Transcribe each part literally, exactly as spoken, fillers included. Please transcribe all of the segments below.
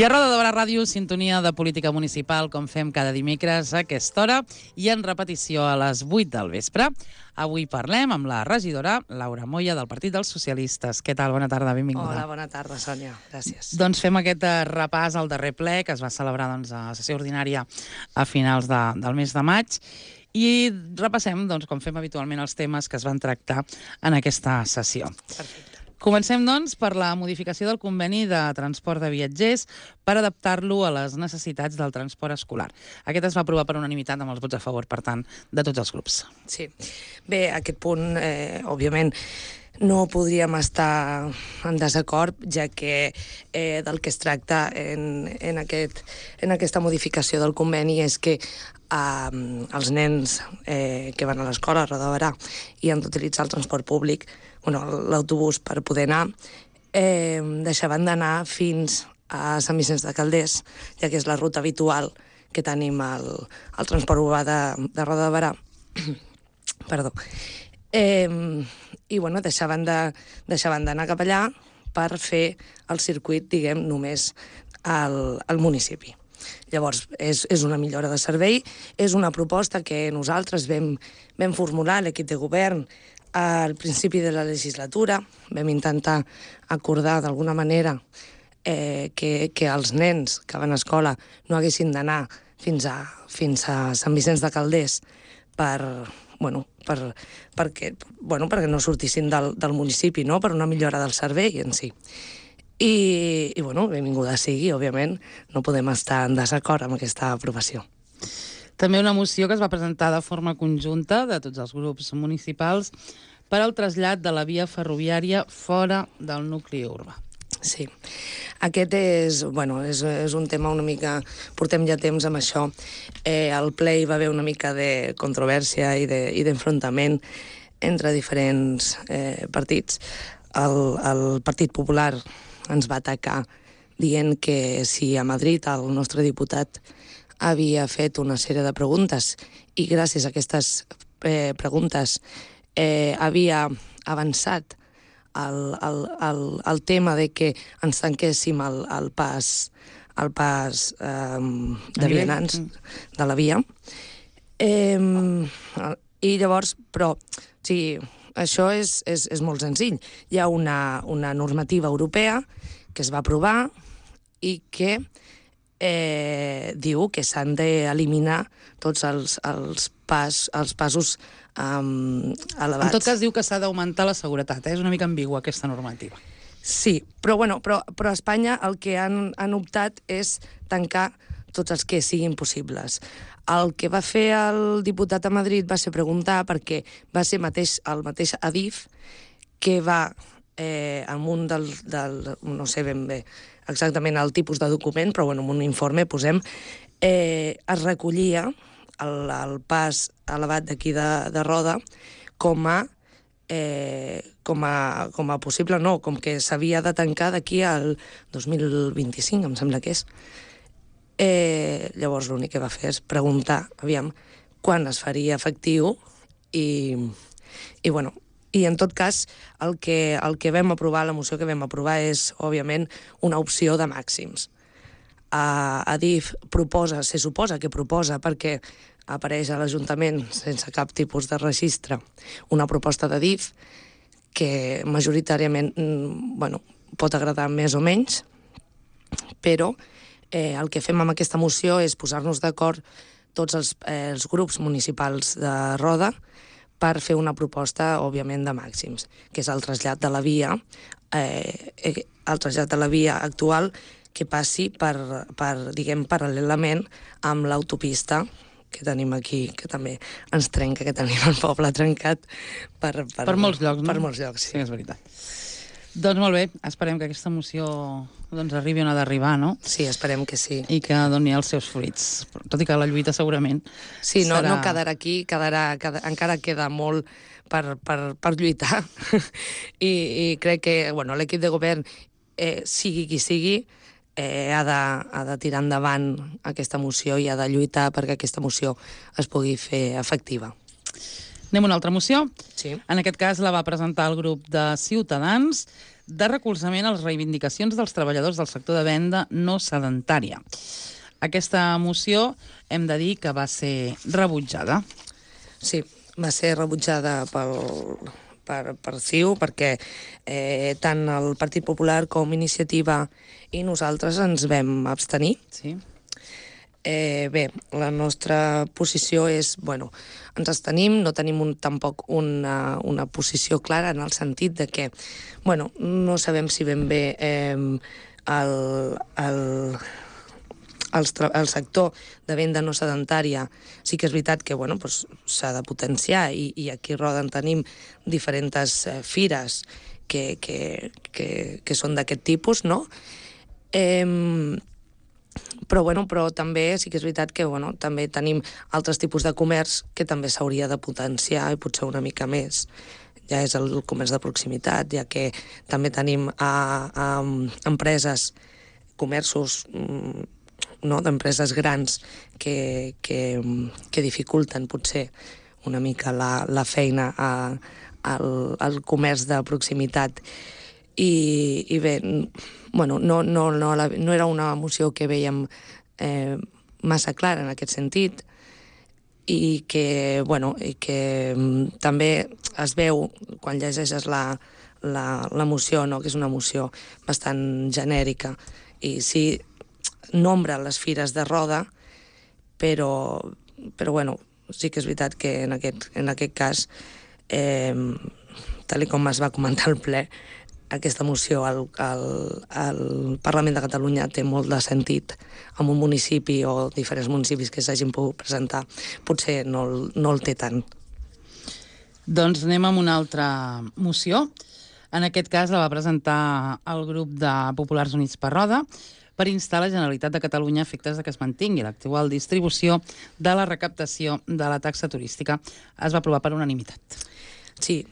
I a Roda de Barà Ràdio, sintonia de política municipal, com fem cada dimecres a aquesta hora, i en repetició a les vuit del vespre. Avui parlem amb la regidora Laura Moya, del Partit dels Socialistes. Què tal? Bona tarda, benvinguda. Hola, bona tarda, Sònia. Gràcies. Doncs fem aquest repàs al darrer ple, que es va celebrar doncs, a la sessió ordinària a finals de, del mes de maig, i repassem, doncs, com fem habitualment, els temes que es van tractar en aquesta sessió. Perfecte. Comencem, doncs, per la modificació del conveni de transport de viatgers per adaptar-lo a les necessitats del transport escolar. Aquest es va aprovar per unanimitat amb els vots a favor, per tant, de tots els grups. Sí. Bé, aquest punt, eh, òbviament, no podríem estar en desacord, ja que eh, del que es tracta en, en, aquest, en aquesta modificació del conveni és que eh, els nens eh, que van a l'escola a Roda de Barà i han d'utilitzar el transport públic, bueno, l'autobús per poder anar, eh, deixaven d'anar fins a Sant Vicenç de Calders, ja que és la ruta habitual que tenim al, al transport urbà de, de Roda de Barà. Perdó. Eh, I, bueno, deixaven de, deixaven d'anar cap allà per fer el circuit, diguem, només al, al municipi. Llavors, és, és una millora de servei, és una proposta que nosaltres vam, vam formular, l'equip de govern, al principi de la legislatura. Vam intentar acordar d'alguna manera eh, que, que els nens que van a escola no haguessin d'anar fins a, fins a Sant Vicenç de Calders per, bueno, per, perquè, bueno, perquè no sortissin del, del municipi, no? Per una millora del servei en si. I, i bueno, benvinguda sigui, òbviament, no podem estar en desacord amb aquesta aprovació. També una moció que es va presentar de forma conjunta de tots els grups municipals per al trasllat de la via ferroviària fora del nucli urbà. Sí, aquest és, bueno, és, és un tema una mica... Portem ja temps amb això. Eh, al ple hi va haver una mica de controvèrsia i d'enfrontament entre diferents eh, partits. El, el Partit Popular ens va atacar dient que si a Madrid el nostre diputat havia fet una sèrie de preguntes i gràcies a aquestes eh, preguntes eh, havia avançat el, el, el, el tema de que ens tanquéssim el, el pas, el pas eh, de vianants de la via. Eh, I llavors, però, o sigui, això és, és, és molt senzill. Hi ha una, una normativa europea que es va aprovar i que Eh, diu que s'han d'eliminar tots els, els, pas, els passos um, elevats. En tot cas, diu que s'ha d'augmentar la seguretat, eh? És una mica ambigua aquesta normativa. Sí, però, bueno, però, però a Espanya el que han, han optat és tancar tots els que siguin possibles. El que va fer el diputat a Madrid va ser preguntar perquè va ser mateix, el mateix Adif que va eh, amb un del, del... no sé ben bé exactament el tipus de document, però bueno, en un informe posem, eh, es recollia el, el pas elevat d'aquí de, de Roda com a, eh, com, a, com a possible, no, com que s'havia de tancar d'aquí al dos mil vint-i-cinc, em sembla que és. Eh, llavors l'únic que va fer és preguntar, aviam, quan es faria efectiu i, i bueno, i en tot cas, el que, el que vam aprovar, la moció que vam aprovar és, òbviament, una opció de màxims. Uh, Adif proposa, se suposa que proposa, perquè apareix a l'Ajuntament sense cap tipus de registre, una proposta d'Adif que majoritàriament bueno, pot agradar més o menys, però eh, el que fem amb aquesta moció és posar-nos d'acord tots els, eh, els grups municipals de Roda per fer una proposta, òbviament, de màxims, que és el trasllat de la via, eh, el trasllat de la via actual que passi per, per diguem, paral·lelament amb l'autopista que tenim aquí, que també ens trenca, que tenim el poble trencat per, per, per molts llocs, no? Per molts llocs, sí. Sí, és veritat. Doncs molt bé, esperem que aquesta moció doncs, arribi on ha d'arribar, no? Sí, esperem que sí. I que doni els seus fruits, tot i que la lluita segurament sí, no, serà... no quedarà aquí, quedarà, quedarà, encara queda molt per, per, per lluitar. I, I crec que bueno, l'equip de govern, eh, sigui qui sigui, eh, ha, de, ha de tirar endavant aquesta moció i ha de lluitar perquè aquesta moció es pugui fer efectiva. Anem a una altra moció. Sí. En aquest cas la va presentar el grup de Ciutadans de recolzament a les reivindicacions dels treballadors del sector de venda no sedentària. Aquesta moció hem de dir que va ser rebutjada. Sí, va ser rebutjada pel, per, per C I U perquè eh, tant el Partit Popular com Iniciativa i nosaltres ens vam abstenir. Sí. Eh, bé, la nostra posició és, bueno, ens abstenim, no tenim un, tampoc una, una posició clara en el sentit de que, bueno, no sabem si ben bé eh, el, el, el, el sector de venda no sedentària sí que és veritat que, bueno, pues, s'ha de potenciar i, i aquí a Roda en tenim diferents eh, fires que, que, que, que són d'aquest tipus, no? Eh, Però, bueno, però també sí que és veritat que bueno, també tenim altres tipus de comerç que també s'hauria de potenciar i potser una mica més. Ja és el comerç de proximitat, ja que també tenim a, a empreses, comerços no, d'empreses grans que, que, que dificulten potser una mica la, la feina a, al, al comerç de proximitat. I, i bé, bueno, no, no, no, la, no era una moció que veiem eh, massa clara en aquest sentit i que, bueno, i que mm, també es veu quan llegeixes la, la, la moció, no? Que és una moció bastant genèrica i sí nombra les fires de Roda, però, però bueno, sí que és veritat que en aquest, en aquest cas, eh, tal com es va comentar al ple, aquesta moció al, al, al Parlament de Catalunya té molt de sentit en un municipi o diferents municipis que s'hagin pogut presentar. Potser no, no el té tant. Doncs anem amb una altra moció. En aquest cas la va presentar el grup de Populars Units per Roda per instar la Generalitat de Catalunya a efectes de que es mantingui l'actual distribució de la recaptació de la taxa turística. Es va aprovar per unanimitat. Sí.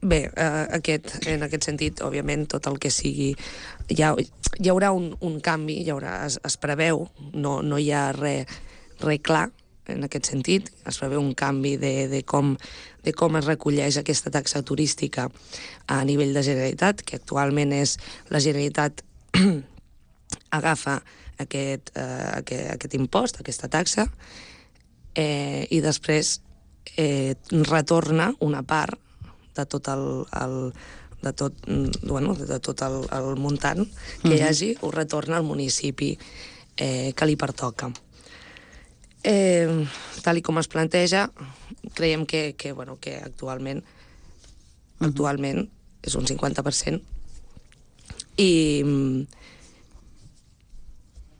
Bé, eh, aquest, en aquest sentit, òbviament, tot el que sigui... Hi, ha, hi haurà un, un canvi, hi haurà, es, es preveu, no, no hi ha res re clar en aquest sentit, es preveu un canvi de, de, com, de com es recolleix aquesta taxa turística a nivell de Generalitat, que actualment és la Generalitat agafa aquest, eh, aquest, aquest impost, aquesta taxa, eh, i després eh, retorna una part de tot el, el de tot, bueno, de tot el, el muntant que hi hagi, ho retorna al municipi eh, que li pertoca. Eh, tal i com es planteja, creiem que, que, bueno, que actualment actualment és un cinquanta per cent i,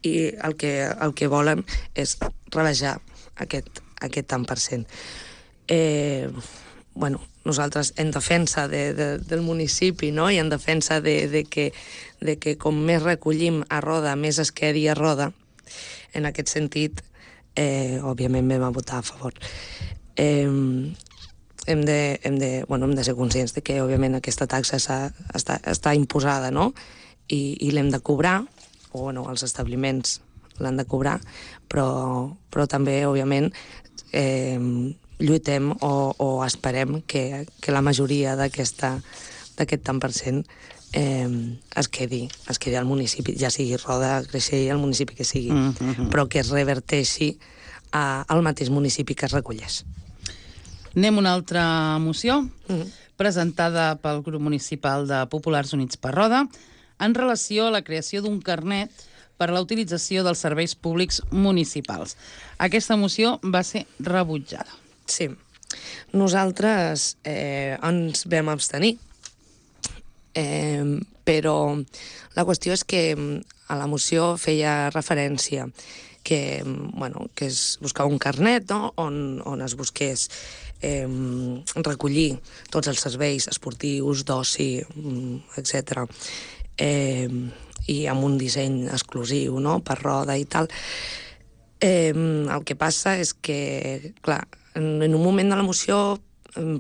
i el, que, el que volen és rebaixar aquest, aquest tant per cent. Eh, bueno, nosaltres en defensa de, de, del municipi, no? I en defensa de, de, que, de que com més recollim a Roda, més es quedi a Roda, en aquest sentit, eh, òbviament vam votar a favor. Eh, hem, de, hem, de, bueno, hem de ser conscients de que, òbviament, aquesta taxa està, està imposada, no? I, i l'hem de cobrar, o bueno, els establiments l'han de cobrar, però, però també, òbviament, eh, lluitem o, o esperem que, que la majoria d'aquest tant per cent eh, es, quedi, es quedi al municipi, ja sigui Roda, Creixell, el municipi que sigui, mm -hmm. però que es reverteixi a, al mateix municipi que es recolleix. Anem a una altra moció, mm -hmm. presentada pel grup municipal de Populars Units per Roda, en relació a la creació d'un carnet per a la utilització dels serveis públics municipals. Aquesta moció va ser rebutjada. Sí. Nosaltres eh, ens vam abstenir, eh, però la qüestió és que a la moció feia referència que, bueno, que es buscava un carnet, no? on, on es busqués eh, recollir tots els serveis esportius, d'oci, etcètera, eh, i amb un disseny exclusiu, no?, per Roda i tal. Eh, el que passa és que, clar, en, en un moment de la moció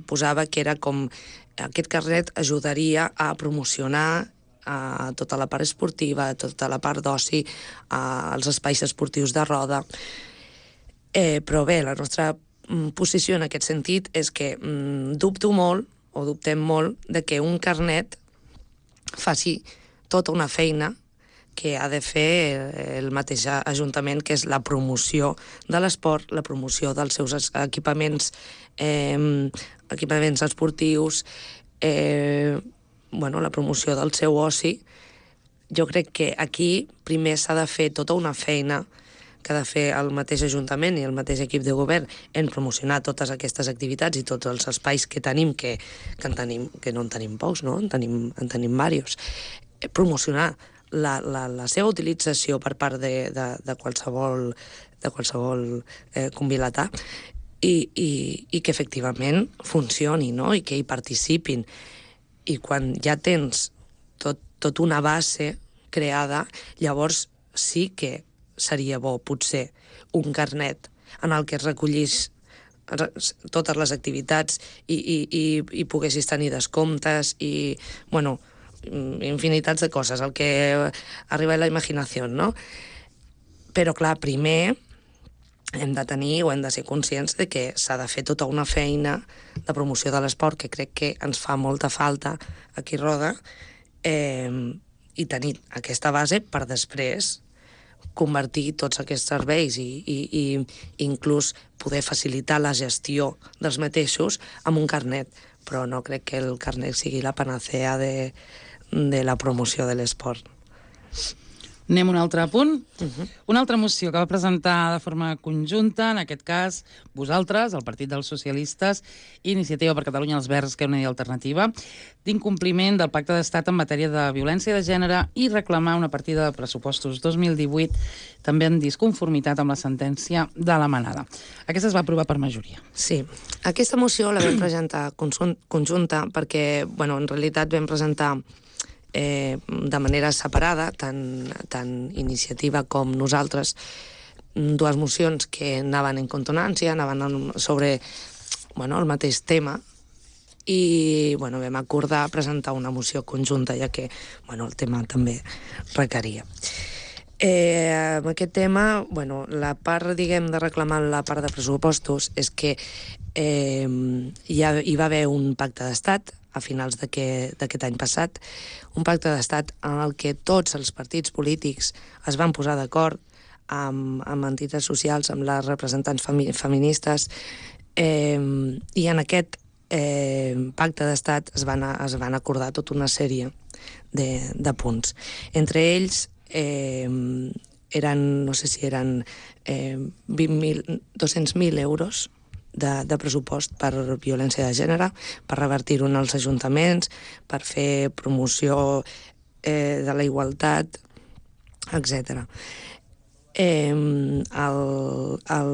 posava que era com aquest carnet ajudaria a promocionar a tota la part esportiva, a tota la part d'oci, als espais esportius de Roda. Eh, però bé, la nostra posició en aquest sentit és que mm, dubto molt, o dubtem molt, de que un carnet faci tota una feina que ha de fer el mateix Ajuntament, que és la promoció de l'esport, la promoció dels seus equipaments, eh, equipaments esportius, eh, bueno, la promoció del seu oci. Jo crec que aquí primer s'ha de fer tota una feina que ha de fer el mateix Ajuntament i el mateix equip de govern en promocionar totes aquestes activitats i tots els espais que tenim, que, que, en tenim, que no en tenim pocs, no? En tenim, en tenim diversos. Promocionar la, la, la seva utilització per part de, de, de qualsevol, de qualsevol eh, convilatà i, i, i que efectivament funcioni, no? I que hi participin. I quan ja tens tot, tot una base creada, llavors sí que seria bo, potser, un carnet en el que es recollís totes les activitats i, i, i, i poguessis tenir descomptes i, bueno, infinitats de coses, el que arriba a la imaginació, no? Però, clar, primer hem de tenir o hem de ser conscients de que s'ha de fer tota una feina de promoció de l'esport, que crec que ens fa molta falta aquí a Roda, eh, i tenir aquesta base per després convertir tots aquests serveis i, i, i inclús poder facilitar la gestió dels mateixos amb un carnet. Però no crec que el carnet sigui la panacea de, de la promoció de l'esport. Anem a un altre punt. Uh-huh. Una altra moció que va presentar de forma conjunta, en aquest cas, vosaltres, el Partit dels Socialistes, Iniciativa per Catalunya, els Verds, que és una idea alternativa, d'incompliment del Pacte d'Estat en matèria de violència de gènere i reclamar una partida de pressupostos dos mil divuit, també en disconformitat amb la sentència de la Manada. Aquesta es va aprovar per majoria. Sí. Aquesta moció la vam presentar conjunta perquè, bueno, en realitat vam presentar Eh, de manera separada, tant, tant Iniciativa com nosaltres, dues mocions que anaven en consonància, anaven sobre, bueno, el mateix tema, i, bueno, vam acordar presentar una moció conjunta, ja que, bueno, el tema també requeria. Eh, amb aquest tema, bueno, la part, diguem, de reclamar la part de pressupostos és que eh, ja hi va haver un pacte d'estat a finals d'aquest any passat, un pacte d'estat en el que tots els partits polítics es van posar d'acord amb, amb entitats socials, amb les representants femi feministes, eh, i en aquest eh, pacte d'estat es, van es van acordar tota una sèrie de, de punts. Entre ells, eh, eren, no sé si eren eh, vint mil, dos-cents mil euros De, de pressupost per violència de gènere, per revertir-ho en els ajuntaments, per fer promoció eh, de la igualtat, etcètera. Eh, el, el,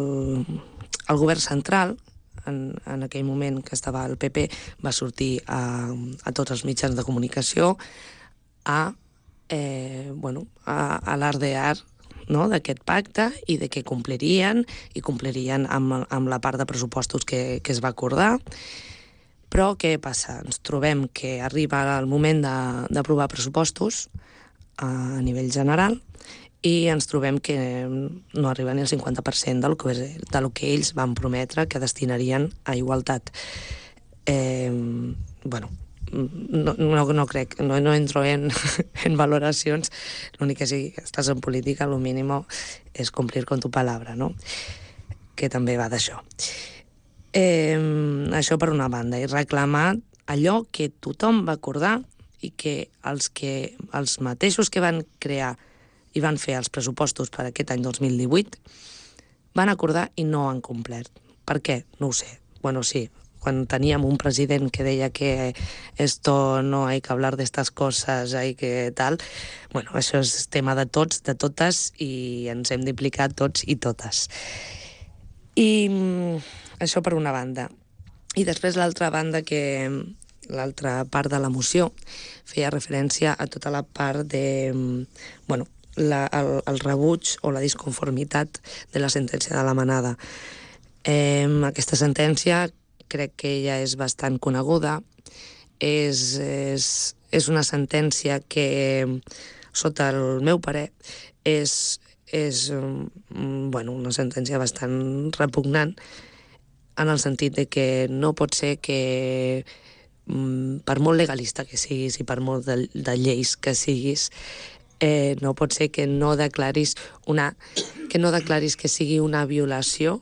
el govern central, en, en aquell moment que estava el P P, va sortir a, a tots els mitjans de comunicació a, eh, bueno, a, a alardear, no?, d'aquest pacte i de que complirien, i complirien amb, amb la part de pressupostos que, que es va acordar. Però què passa? Ens trobem que arriba el moment d'aprovar pressupostos a nivell general i ens trobem que no arriba ni el cinquanta per cent del que, del que ells van prometre que destinarien a igualtat. Eh, bueno, No, no, no crec, no, no entro en, en valoracions. L'únic que si estàs en política, el mínim és complir con tu palabra, no? Que també va d'això. Eh, això per una banda, i reclamar allò que tothom va acordar i que els, que els mateixos que van crear i van fer els pressupostos per aquest any dos mil divuit van acordar i no han complert. Per què? No ho sé. Bueno, sí, quan teníem un president que deia que esto no hay que hablar de estas cosas, hay que tal, bueno, això és tema de tots, de totes, i ens hem d'implicar tots i totes. I això per una banda. I després l'altra banda, que l'altra part de la moció feia referència a tota la part de, bueno, la, el, el rebuig o la disconformitat de la sentència de la Manada. Eh, aquesta sentència crec que ja és bastant coneguda. És, és, és una sentència que, sota el meu parer, és, és bueno, una sentència bastant repugnant en el sentit de que no pot ser que, per molt legalista que siguis i per molt de, de lleis que siguis, eh, no pot ser que no declaris una, que no declaris que sigui una violació,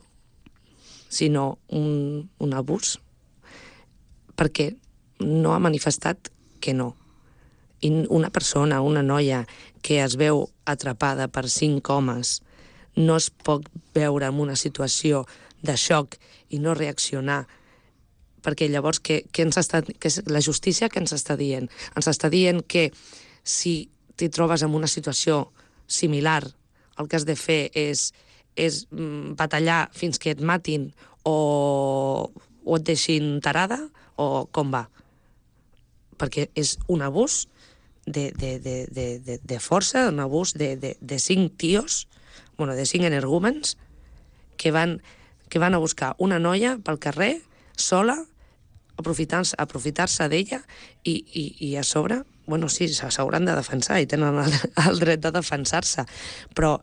sinó un, un abús, perquè no ha manifestat que no. I una persona, una noia que es veu atrapada per cinc homes, no es pot veure en una situació de xoc i no reaccionar, perquè llavors què, què ens està, què és la justícia que ens està dient? Ens està dient que si t'hi trobes en una situació similar, el que has de fer és, és batallar fins que et matin o, o et deixin tarada, o com va? Perquè és un abús de, de, de, de, de, de força, un abús de, de, de cinc tios, bueno, de cinc energúmens, que van, que van a buscar una noia pel carrer, sola, aprofitar-se aprofitar d'ella, i, i, i a sobre, bueno, sí, s'hauran de defensar i tenen el, el dret de defensar-se, però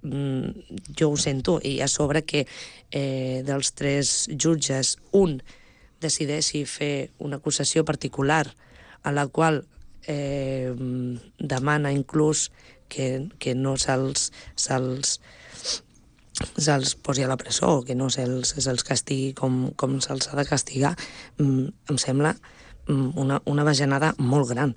mm, jo ho sento, i a sobre que eh, dels tres jutges, un decideixi fer una acusació particular a la qual eh, demana inclús que, que no se'ls se'ls se'ls posi a la presó, que no se'ls se'ls castigui com, com se'ls ha de castigar, mm, em sembla una, una bajanada molt gran,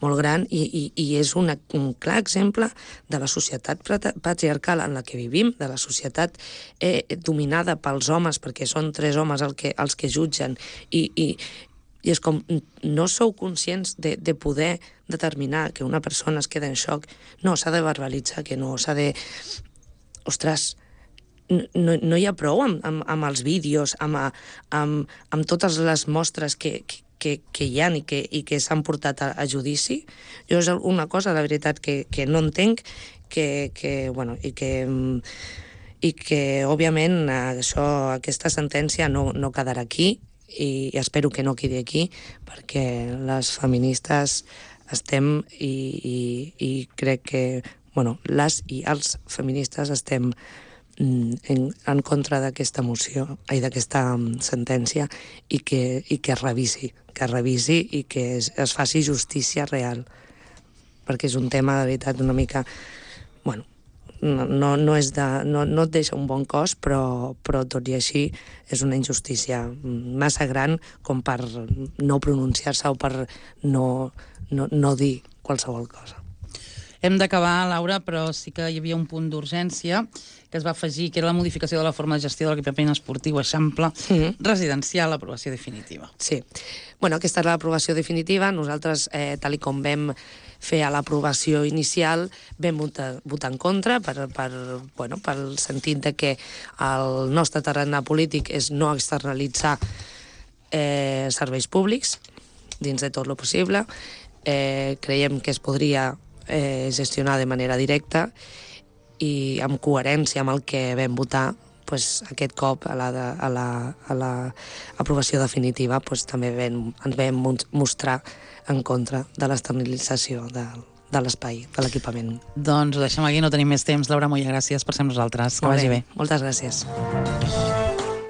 molt gran, i, i, i és una, un clar exemple de la societat patriarcal en la que vivim, de la societat eh, dominada pels homes, perquè són tres homes el que, els que jutgen, i, i, i és com, no sou conscients de, de poder determinar que una persona es queda en xoc, no, s'ha de verbalitzar, que no, s'ha de... Ostres, no, no hi ha prou amb, amb, amb els vídeos, amb, amb, amb totes les mostres que, que, que hi ha i que, i que s'han portat a, a judici. Jo és una cosa, la veritat, que, que no entenc, que, que, bueno, i que, i que òbviament, això, aquesta sentència no, no quedarà aquí, i espero que no quedi aquí, perquè les feministes estem, i, i, i crec que, bueno, les i els feministes estem En, en contra d'aquesta moció i d'aquesta sentència, i que, i que es revisi, que es revisi i que es, es faci justícia real, perquè és un tema de veritat una mica, bueno, no, no, no, és de, no, no et deixa un bon cos, però, però tot i així és una injustícia massa gran com per no pronunciar-se o per no, no, no dir qualsevol cosa. Hem d'acabar, Laura, però sí que hi havia un punt d'urgència que es va afegir, que era la modificació de la forma de gestió de l'equipament esportiu eixample mm-hmm. residencial, l'aprovació definitiva. Sí. Bueno, aquesta és l'aprovació definitiva. Nosaltres, eh, tal i com vam fer a l'aprovació inicial, vam votar, votar en contra per, per, bueno, pel sentit de que el nostre terreny polític és no externalitzar eh, serveis públics dins de tot lo possible. Eh, creiem que es podria eh, gestionar de manera directa, i amb coherència amb el que vam votar, pues, aquest cop a la, de, a la, a la aprovació definitiva pues, també vam, ens vam mostrar en contra de l'externalització de, de l'espai, de l'equipament. Doncs ho deixem aquí, no tenim més temps. Laura Moya, gràcies per ser amb nosaltres. Que vagi bé. Moltes gràcies.